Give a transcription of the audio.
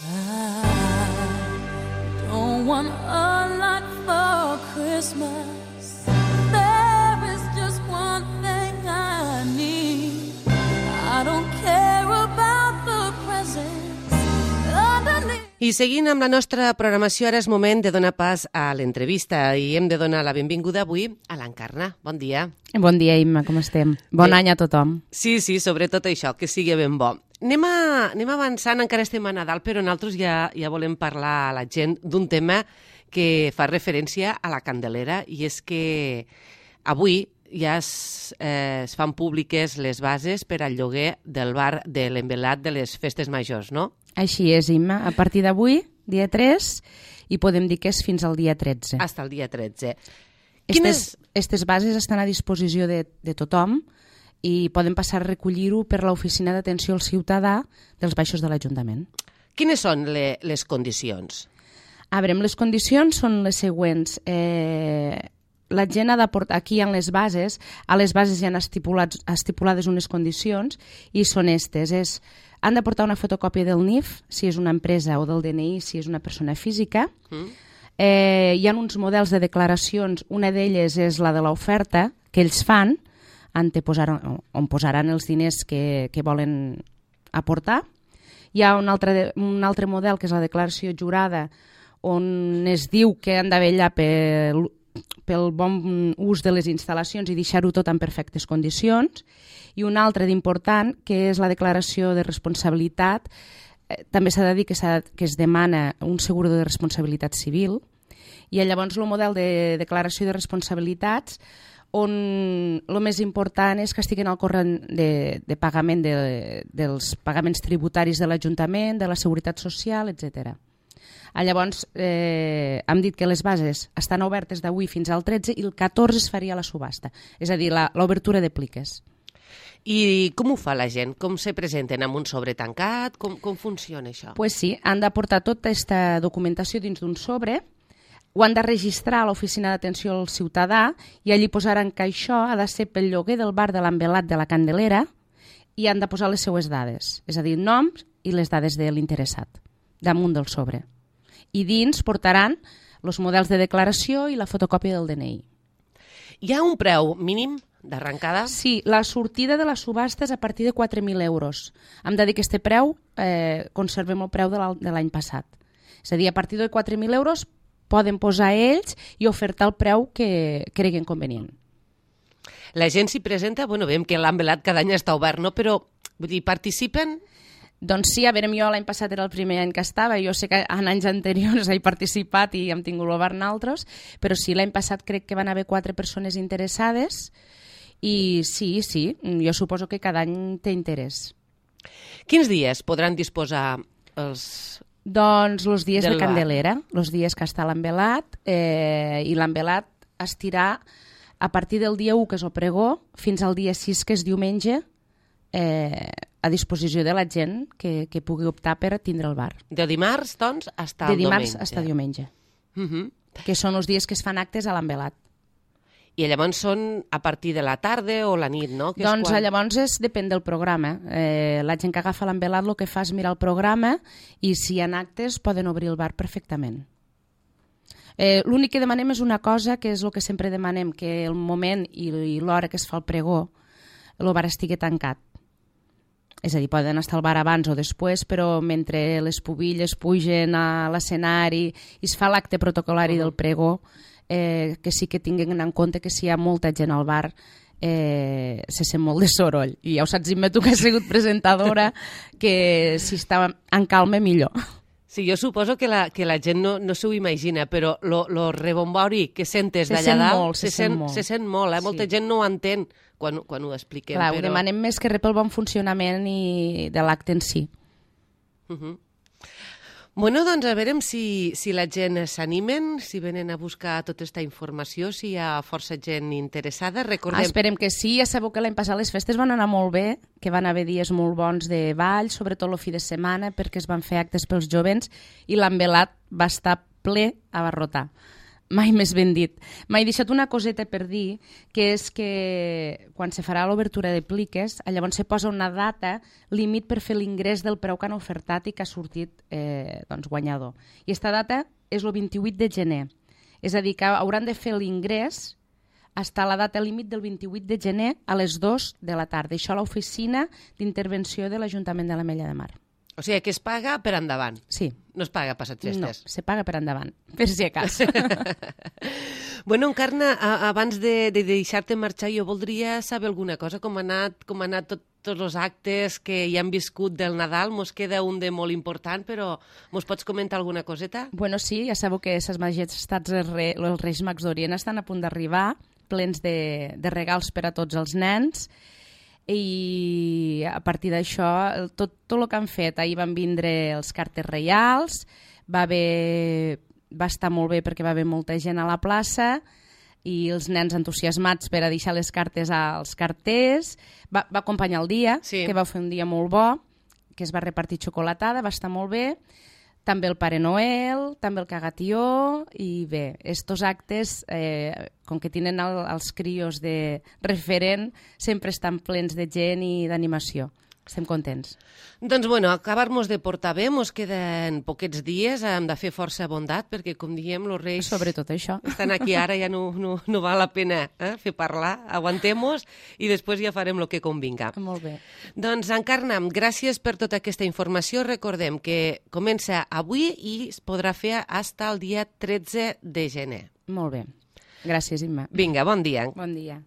I don't want a lot for Christmas. There is just one thing I need. I don't care about the presents underneath. I seguint amb la nostra programació, ara és moment de donar pas a l'entrevista i hem de donar la benvinguda avui a l'Encarna. Bon dia. Bon dia, Imma, com estem? Bon any a tothom. Sí, sobretot això, que sigui ben bo. Anem avançant, encara estem a Nadal, però nosaltres ja volem parlar a la gent d'un tema que fa referència a la Candelera, i és que avui ja es fan públiques les bases per al lloguer del bar de l'Envelat de les Festes Majors, no? Així és, Imma. A partir d'avui, dia 3, i podem dir que és fins al dia 13. Hasta el dia 13. Estes bases estan a disposició de tothom i poden passar a recollir-ho per l'Oficina d'Atenció al Ciutadà dels Baixos de l'Ajuntament. Quines són les condicions? A veure, les condicions són les següents. La gent ha d'aportar, aquí en les bases, a les bases hi han estipulades unes condicions i són estes. Han de portar una fotocòpia del NIF, si és una empresa, o del DNI, si és una persona física. Hi ha uns models de declaracions, una d'elles és la de l'oferta, que ells fan, on posaran els diners que volen aportar. Hi ha un altre model, que és la declaració jurada, on es diu que han de vetllar pel bon ús de les instal·lacions i deixar-ho tot en perfectes condicions. I un altre d'important, que és la declaració de responsabilitat. També s'ha de dir que es demana un seguro de responsabilitat civil. I llavors el model de declaració de responsabilitats, on el més important és que estiguin al corrent de pagament dels pagaments tributaris de l'Ajuntament, de la Seguretat Social, etc. Llavors, hem dit que les bases estan obertes d'avui fins al 13 i el 14 es faria la subhasta, és a dir, l'obertura de pliques. I com ho fa la gent? Com se presenten? Amb un sobre tancat? Com funciona això? Pues sí, han d'aportar tota aquesta documentació dins d'un sobre, ho han de registrar a l'Oficina d'Atenció al Ciutadà i allí posaran que això ha de ser pel lloguer del bar de l'Envelat de la Candelera i han de posar les seues dades, és a dir, noms i les dades de l'interessat, damunt del sobre. I dins portaran els models de declaració i la fotocòpia del DNI. Hi ha un preu mínim d'arrencada? Sí, la sortida de la subhasta és a partir de 4.000 euros. Hem de dir que aquest preu conservem el preu de l'any passat. És a dir, a partir de 4.000 euros poden posar ells i ofertar el preu que creguen convenient. La gent s'hi presenta, veiem que l'Envelat cada any està obert, no? Però participen? Doncs sí, a veure, jo l'any passat era el primer any que estava, jo sé que en anys anteriors he participat i hem tingut l'obert naltros, però sí, l'any passat crec que van haver 4 persones interessades i sí, jo suposo que cada any té interès. Quins dies podran disposar els... Doncs els dies de Candelera, els dies que està l'Envelat, i l'Envelat estirà a partir del dia 1, que és el pregó, fins al dia 6, que és diumenge, a disposició de la gent que pugui optar per tindre el bar. De dimarts, doncs, fins al diumenge. De dimarts fins diumenge, que són els dies que es fan actes a l'Envelat. I llavors són a partir de la tarda o la nit, no? Doncs llavors depèn del programa. La gent que agafa l'Envelat el que fa és mirar el programa i si hi ha actes poden obrir el bar perfectament. L'únic que demanem és una cosa, que és el que sempre demanem, que el moment i l'hora que es fa el pregó el bar estigui tancat. És a dir, poden estar al bar abans o després, però mentre les pubilles pugen a l'escenari i es fa l'acte protocolari del pregó, que sí que tinguin en compte que si hi ha molta gent al bar se sent molt de soroll. I ja ho saps, Imma, tu que has sigut presentadora, que si està en calma millor. Sí, jo suposo que la gent no s'ho imagina, però lo rebombori que sentes d'allà dalt se sent molt. Molta gent no ho entén quan ho expliquem. Clar, ho demanem més que res pel bon funcionament de l'acte en si. Bueno, doncs a veure si la gent s'animen, si venen a buscar tota aquesta informació, si hi ha força gent interessada. Esperem que sí. Ja sabeu que l'any passat les festes van anar molt bé, que van haver dies molt bons de ball, sobretot el fi de setmana, perquè es van fer actes pels jovents i l'Envelat va estar ple a barrotar. mai més ben dit. M'he deixat una coseta per dir, que és que quan se farà l'obertura de pliques, llavors se posa una data límit per fer l'ingrés del preu que han ofertat i que ha sortit guanyador. I aquesta data és el 28 de gener. És a dir, que hauran de fer l'ingrés fins a la data límit del 28 de gener a les 2 de la tarda. Això a l'oficina d'intervenció de l'Ajuntament de l'Ametlla de Mar. O sigui, que es paga per endavant. Sí. No es paga passat festes. No, se paga per endavant, per si acaso. Bueno, Encarna, abans de deixar-te marxar, jo voldria saber alguna cosa, com han anat tots els actes que hi han viscut del Nadal. Mos queda un de molt important, però mos pots comentar alguna coseta? Bueno, sí, ja sabeu que les majestats dels Reis Mags d'Orient estan a punt d'arribar, plens de regals per a tots els nens, i a partir d'això tot el que han fet, ahir van vindre els cartes reials, va estar molt bé perquè va haver molta gent a la plaça i els nens entusiasmats per a deixar les cartes als carters, va acompanyar el dia, sí, que va fer un dia molt bo, que es va repartir xocolatada, va estar molt bé, també el Pare Noel, també el Cagatió, i bé, estos actes, com que tenen els crios de referent, sempre estan plens de gent i d'animació. Estem contents. Doncs, bueno, acabar-nos de portar bé, mos queden poquets dies, hem de fer força bondat, perquè, com diem, els reis... Sobretot això. Estan aquí ara, ja no val la pena fer parlar, aguantem-nos i després ja farem el que convinga. Molt bé. Doncs, Encarna, gràcies per tota aquesta informació. Recordem que comença avui i es podrà fer fins al dia 13 de gener. Molt bé. Gràcies, Imma. Vinga, bon dia. Bon dia.